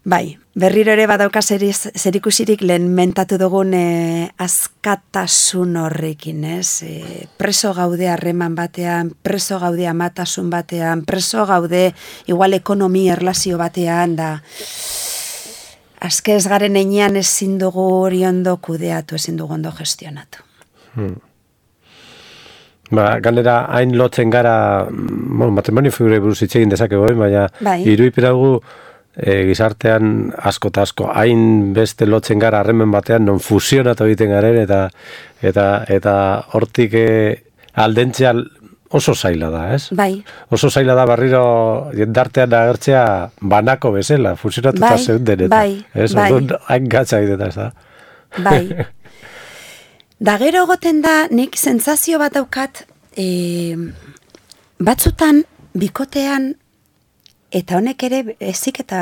Speaker 2: Bai, berriro ere badauka zerikusirik lehen mentatu dugun eh, askatasun horrekin, ez? Eh, preso gaude harreman batean, preso gaude amatasun batean, preso gaude igual ekonomi erlazio batean, da... Azke ez garen einean ezin dugu hori ondo kudeatu, ezin dugu ondo gestionatu. Hmm.
Speaker 1: Ba, ganera, hain lotzen gara, bueno, matrimonio figure buruz hitz egin dezakegu, baina
Speaker 2: bai.
Speaker 1: Iruipiragu e, gizartean asko eta asko, hain beste lotzen gara harremen batean, non fusionatu egiten garen, eta eta eta hortik e, aldentzea oso zaila da, ez?
Speaker 2: Bai.
Speaker 1: Oso zaila da barriro jendartean agertzea banako bezala, fusionatuta
Speaker 2: bai,
Speaker 1: zeuden eta.
Speaker 2: Bai,
Speaker 1: ez?
Speaker 2: bai.
Speaker 1: Orduan, hain gatza egiten da, ez da?
Speaker 2: Bai. Da gero goten da, nik sentsazio bat daukat, e, batzutan, bikotean, eta honek ere ezik eta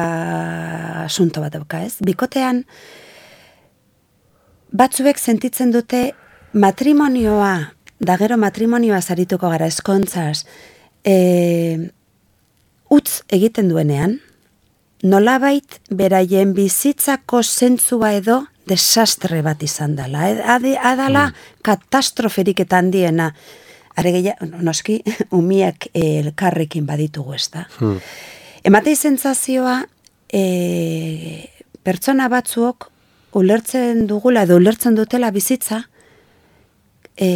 Speaker 2: asunto bat dauka, ez? Bikotean, batzuek sentitzen dute matrimonioa, da gero matrimonioa zarituko gara eskontzaz, e, utz egiten duenean, nolabait beraien bizitzako zentzua edo desastre bat izan dela. Adala mm. katastroferik eta handiena. Are gehiago, noski, umiak elkarrekin baditugu ez da. Mm. Ematei sentsazioa, e, pertsona batzuok ulertzen dugula edo ulertzen dutela bizitza, e,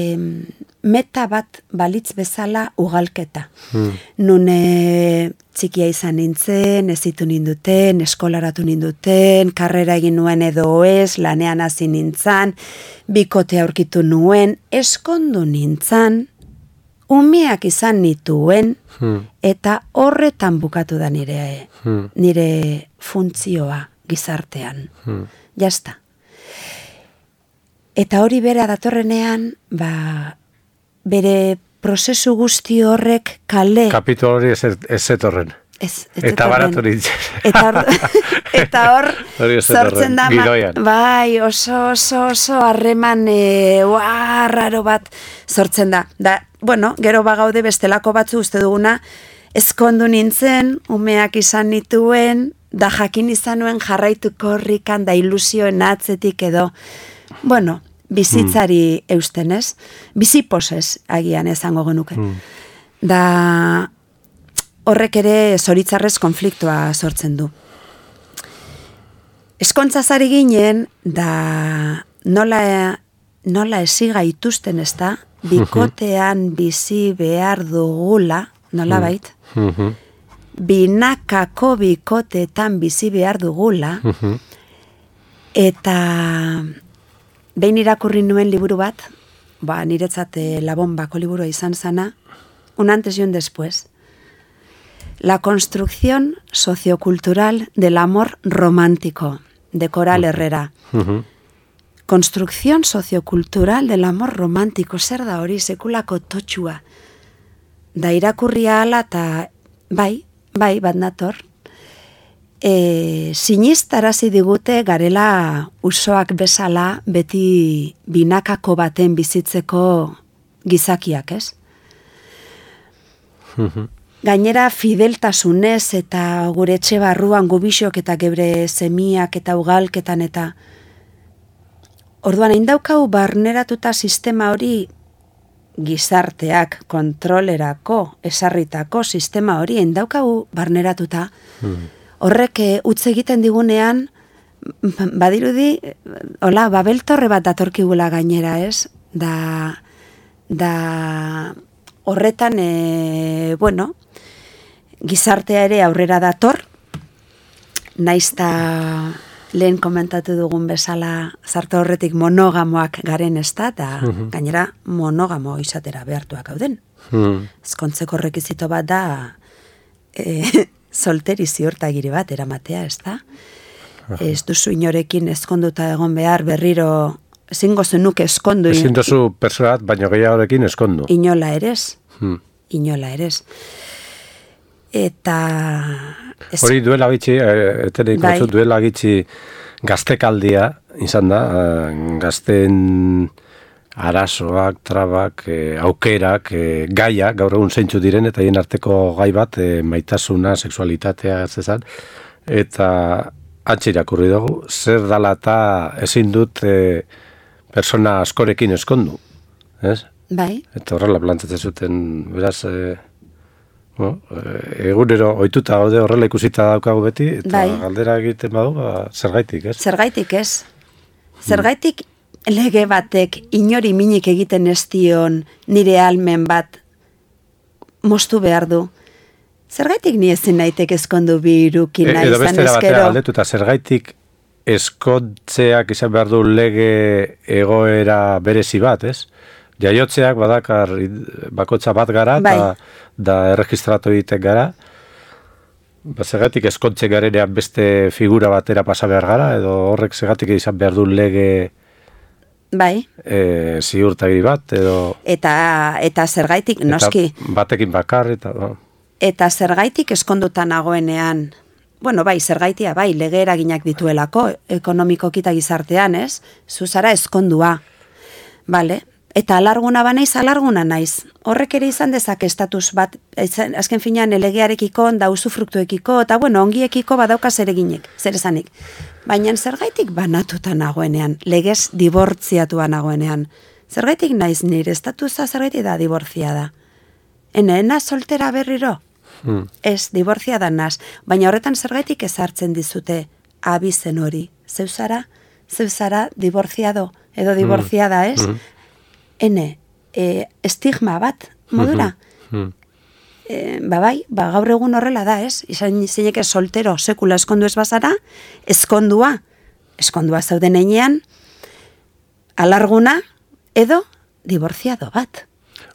Speaker 2: meta bat balitz bezala ugalketa. Hmm. Nune txikia izan nintzen, ezitu ninduten, eskolaratu ninduten, karrera egin nuen edo ez, lanean hasi nintzen, bikote aurkitu nuen, eskondu nintzen, umeak izan nituen, hmm. eta horretan bukatu da nire, hmm. nire funtzioa gizartean. Hmm. Jasta. Eta hori bera datorrenean, ba, bere prozesu guzti horrek kale...
Speaker 1: Kapitolo hori ez, ez zetorren.
Speaker 2: Ez, ez
Speaker 1: eta baratu nintzen.
Speaker 2: Eta hor, eta hor sortzen da, bai, oso, oso, oso harreman e, raro bat sortzen da. Da, bueno, gero bagaude bestelako batzu uste duguna, ezkondu nintzen, umeak izan nituen, da jakin izan nuen jarraituko horrikan, da ilusioen atzetik edo... Bueno, bizitzari mm. eustenez, bizipozez agian ezango genuke. Mm. Da horrek ere zoritzarrez konfliktua sortzen du. eskontzazari ginen, da nola, nola esiga ituzten ez da, bikotean bizi behar dugula, nola bait,
Speaker 1: Mhm.
Speaker 2: binakako bikoteetan bizi behar dugula,
Speaker 1: Mhm.
Speaker 2: eta behin irakurri nuen liburu bat, ba, niretzat eh, Labombako liburua izan zana, un antes y un después. La construcción sociocultural del amor romántico, de Coral Herrera.
Speaker 1: Mhm.
Speaker 2: Construcción sociocultural del amor romántico, zer da hori sekulako totxua. Da irakurria ala eta bai, bai, bat nator. E, sinistarazi digute garela usoak bezala beti binakako baten bizitzeko gizakiak, ez?
Speaker 1: Mhm.
Speaker 2: Gainera fideltasunez eta gure etxe barruan gubixok eta gebre semiak eta ugalketan eta orduan hain daukau barneratuta sistema hori gizarteak kontrolerako esarritako sistema hori hain daukau barneratuta horrek eh, utz egiten digunean badirudi hola babeltorre bat datorkigula gainera, ez? Da da horretan e, bueno, gizartea ere aurrera dator, naizta lehen komentatu dugun bezala zarta horretik monogamoak garen ez da, eta gainera monogamo izatera behartuak gauden.
Speaker 1: Mhm.
Speaker 2: Ezkontzeko rekizito bat da e, solteri ziurtagiri bat eramatea, ez da? Ez duzu inorekin ezkonduta egon behar berriro ezingo zenuke eskondu.
Speaker 1: Ezin dozu persona bat, baino gehiagorekin eskondu.
Speaker 2: Inola erez.
Speaker 1: Hmm.
Speaker 2: Inola erez. Eta... ez-
Speaker 1: Hori duela gitxi, eh, etenik
Speaker 2: Bai.
Speaker 1: batzuk duela gitxi gaztekaldia izan da, eh, gazten arazoak, trabak, eh, aukerak, eh, gaia, gaur egun zeintzu diren, eta hien arteko gai bat, eh, maitasuna, sexualitatea, zezan, eta antxe irakurri dugu, zer dala eta ezin dut eh, persona askorekin eskondu, ez?
Speaker 2: Bai,
Speaker 1: Eta horrela plantatzen zuten, beraz, e, bueno, e, egunero ohituta gaude horrela ikusita daukagu beti, eta
Speaker 2: Bai.
Speaker 1: galdera egiten badu, ba, zergaitik, ez?
Speaker 2: zergaitik ez. Zergaitik lege batek inori minik egiten ez dion nire almen bat moztu behar du. Zergaitik ni ezin naitek ezkondu bi irukina
Speaker 1: E- edo
Speaker 2: izan
Speaker 1: bestera batera
Speaker 2: ezkero.
Speaker 1: galdetuta, zergaitik eskontzeak izan behar du lege egoera berezi bat, ez? Jaiotzeak badakar id- bakotza bat gara,
Speaker 2: Bai.
Speaker 1: eta da erregistratu egiten gara, ba, zergatik eskontze garenean beste figura batera pasa behar gara, edo horrek zergatik izan behar du lege
Speaker 2: Bai,
Speaker 1: e, ziurtagiri bat, edo
Speaker 2: eta, eta zergaitik, noski,
Speaker 1: eta batekin bakar, eta ba.
Speaker 2: eta zergaitik eskonduta nagoenean, bueno, bai, zergaitia, bai, lege eraginak dituelako, ekonomikoki eta gizartean, ez? Zuzara eskondua, bale? Eta alarguna banaiz, alarguna naiz. Horrek ere izan dezake estatus bat, izan- azken finean elegearekiko, da usufruktuekiko, eta bueno, ongiekiko badauka zereginek, zer esanik. Baina zergaitik banatuta nagoenean, legez dibortziatua nagoenean. Zergaitik naiz nire estatusa zergaitik da dibortziada. Enena soltera berriro?
Speaker 1: Hmm.
Speaker 2: Ez, dibortziada naz. Baina horretan zergaitik ezartzen dizute abizen hori. Zeuzara, zeuzara dibortziado, edo dibortziada, ez? Ene, e, estigma bat, modura.
Speaker 1: Hmm.
Speaker 2: E, ba bai, ba gaur egun horrela da, ez? Izan zineke soltero, sekula eskondu ez bazara, eskondua, eskondua zauden einean, alarguna, edo dibortziado bat.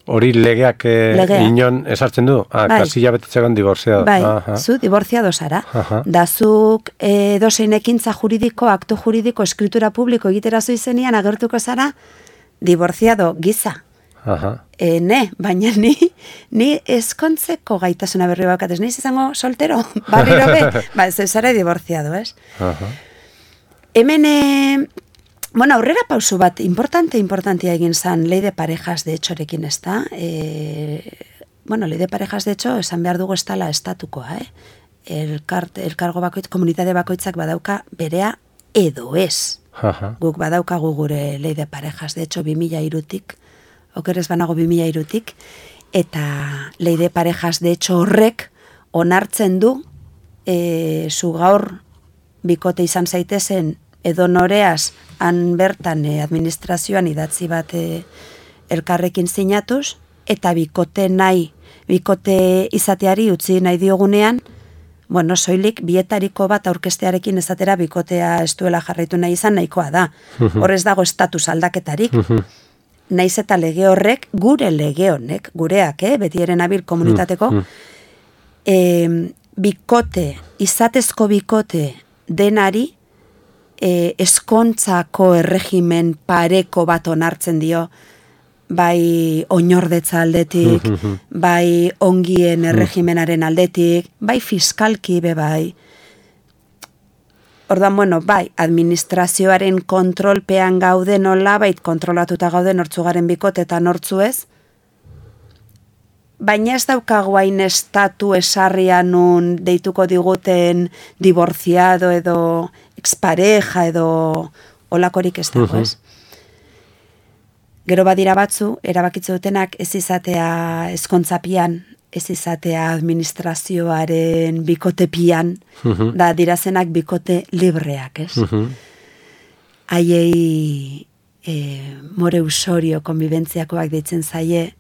Speaker 1: Hori legeak eh,
Speaker 2: Legea.
Speaker 1: inon esartzen du? Ah,
Speaker 2: Bai.
Speaker 1: kasilla betetzean diborziado.
Speaker 2: Bai,
Speaker 1: Aha.
Speaker 2: zu dibortziado zara.
Speaker 1: Aha.
Speaker 2: Da zuk e, dozein ekintza juridiko, akto juridiko, eskritura publiko egiterazu izenean agertuko zara, dibortziado giza.
Speaker 1: Aha.
Speaker 2: E, ne, baina ni, ni eskontzeko gaitasuna berri bakat, ez niz izango soltero, barriro be, ba, ez zara dibortziado, ez?
Speaker 1: Aha.
Speaker 2: Hemen, e, bueno, aurrera pausu bat, importante, importantea egin zan, ley de parejas de hechorekin ez da, e, bueno, ley de parejas de hecho, esan behar dugu ez dala estatukoa, eh? Elkar, elkargo bakoitz, komunitate bakoitzak badauka berea edo ez.
Speaker 1: Aha.
Speaker 2: Guk badaukagu gure ley de parejas, de hecho, bi mila hirutik, okerez banago bi mila hirutik, eta ley de parejas, de hecho, horrek onartzen du, e, zu gaur bikote izan zaitezen edo noreaz han bertan e, administrazioan idatzi bat e, elkarrekin sinatuz, eta bikote nahi, bikote izateari utzi nahi diogunean, bueno, soilik bietariko bat aurkestearekin ezatera bikotea ez duela jarraitu nahi izan nahikoa da. Horrez dago estatus aldaketarik. Naiz eta lege horrek, gure lege honek, gureak, eh, beti eren abil komunitateko, e, bikote, izatezko bikote denari, e, eskontzako erregimen pareko bat onartzen dio, bai oinordetza aldetik, bai ongien erregimenaren aldetik, bai fiskalki be bai. Ordan, bueno, bai, administrazioaren kontrolpean gaude nola, bait kontrolatuta gaude nortzugaren bikote eta nortzu ez, baina ez daukagu hain estatu esarrian nun deituko diguten divorciado edo expareja edo olakorik ez dago, ez? Gero badira batzu, erabakitze dutenak ez izatea eskontzapian, ez izatea administrazioaren bikotepian, da dirazenak bikote libreak, ez? Haiei e, more usorio konbibentziakoak deitzen zaie,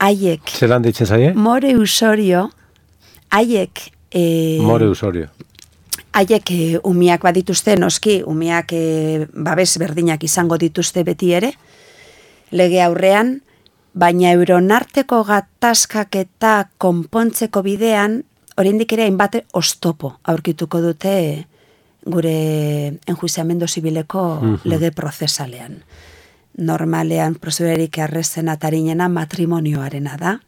Speaker 2: haiek...
Speaker 1: Zeran deitzen zaie?
Speaker 2: More usorio, haiek... E,
Speaker 1: more usorio.
Speaker 2: Haiek e, umiak badituzte, noski, umiak e, babes berdinak izango dituzte beti ere, lege aurrean, baina euronarteko gatazkak eta konpontzeko bidean, oraindik ere hainbat oztopo aurkituko dute gure enjuiziamendu zibileko lege prozesalean. Normalean, prozedurarik errezen atarinena matrimonioarena da.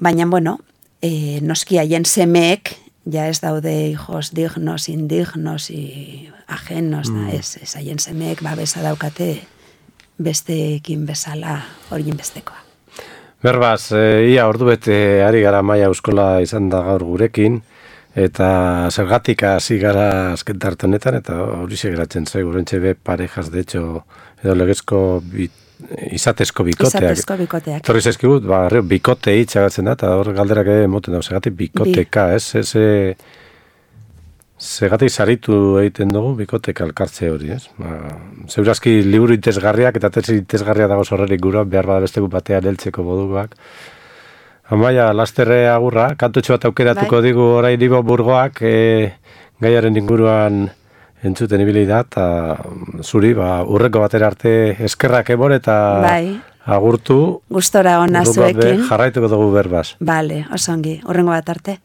Speaker 2: Baina, bueno, e, noski haien semeek, ja ez daude hijos dignos, indignos y ajenos, da, ez, ez haien semeek babesa daukate besteekin bezala horien bestekoa.
Speaker 1: Berbaz, e, ia ordu bete ari gara Maia Euskola izan da gaur gurekin, eta zergatik hasi gara azken tarte honetan, eta hori segeratzen zaigu, urentxe be parejas, de hecho, edo legezko bit, izatezko bikoteak.
Speaker 2: Izatezko bikoteak.
Speaker 1: Torri zaizkigut, ba, bikote hitxagatzen da, eta hor galderak ere moten da, segatik bikoteka, Bi. ez? Ez, segatik saritu egiten dugu bikoteka elkartze hori, ez? Ba, zeurazki liburu itezgarriak eta tesi itezgarria dago zorrerik gura, behar bada besteku batean heltzeko moduak. Amaia, lasterre agurra, kantutxo bat aukeratuko bai. Digu orain Ibo Burgoak, e, gaiaren inguruan entzuten ibili da, eta zuri, ba, urreko batera arte eskerrak ebor eta
Speaker 2: bai.
Speaker 1: Agurtu.
Speaker 2: Gustora ona zuekin.
Speaker 1: Jarraituko dugu berbaz.
Speaker 2: Bale, osongi, urrengo bat arte.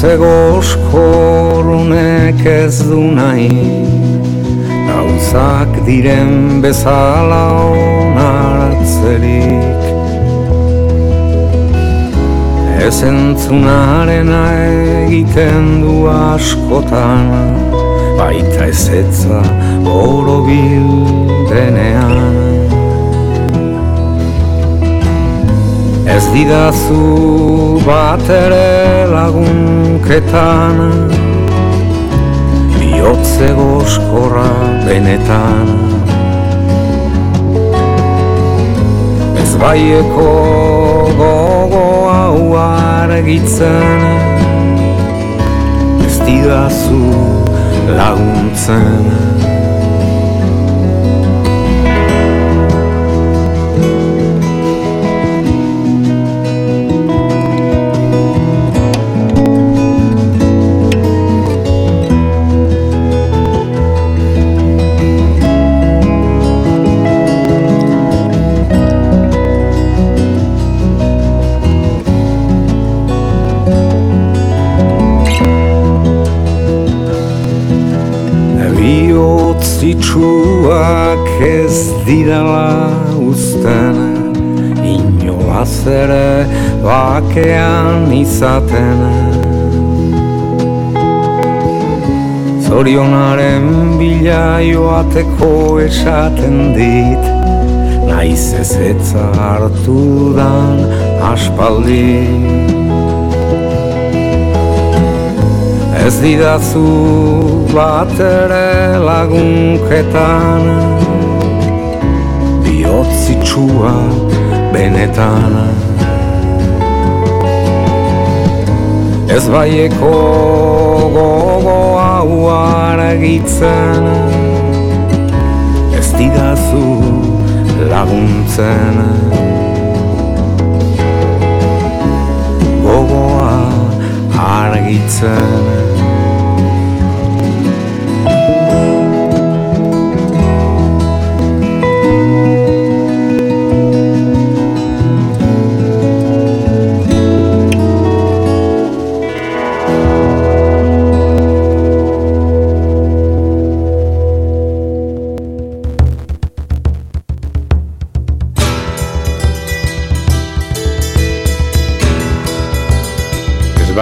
Speaker 3: Zegoskorunek ez du nahi, gauzak diren bezala onartzerik. Ez entzunarena egiten du askotan, baita ezetza borobil denean. Ez didazu bat ere lagunketan, bihotze goskorra benetan. Ez baieko gogo hau argitzen, ez didazu laguntzen. Itxuak ez didala uzten, inolaz ere bakean izaten.
Speaker 4: zorionaren bila joateko esaten dit, naiz ezetza hartu dan aspaldi. Ez didazu bat ere lagunketan, bihotzitsua benetan. Ez baieko gogo hau argitzen, ez didazu laguntzen. Gogoa argitzen.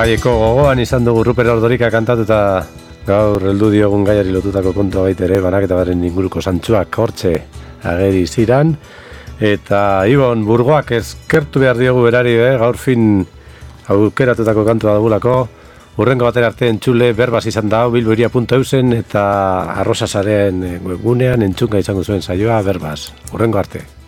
Speaker 1: Baieko gogoan izan dugu Ruper Ordorika kantatuta gaur heldu diogun gaiari lotutako kontua baita ere, banaketa baren inguruko zantzuak hortxe ageri ziran. Eta Ibon Burgoak eskertu behar diogu berari, eh? Gaur fin aukeratutako kantua dugulako. Urrengo batera arte entzule berbaz izan da, bilboiria puntu eusen eta arrosasaren webgunean entzunga izango zuen saioa berbaz. Urrengo arte.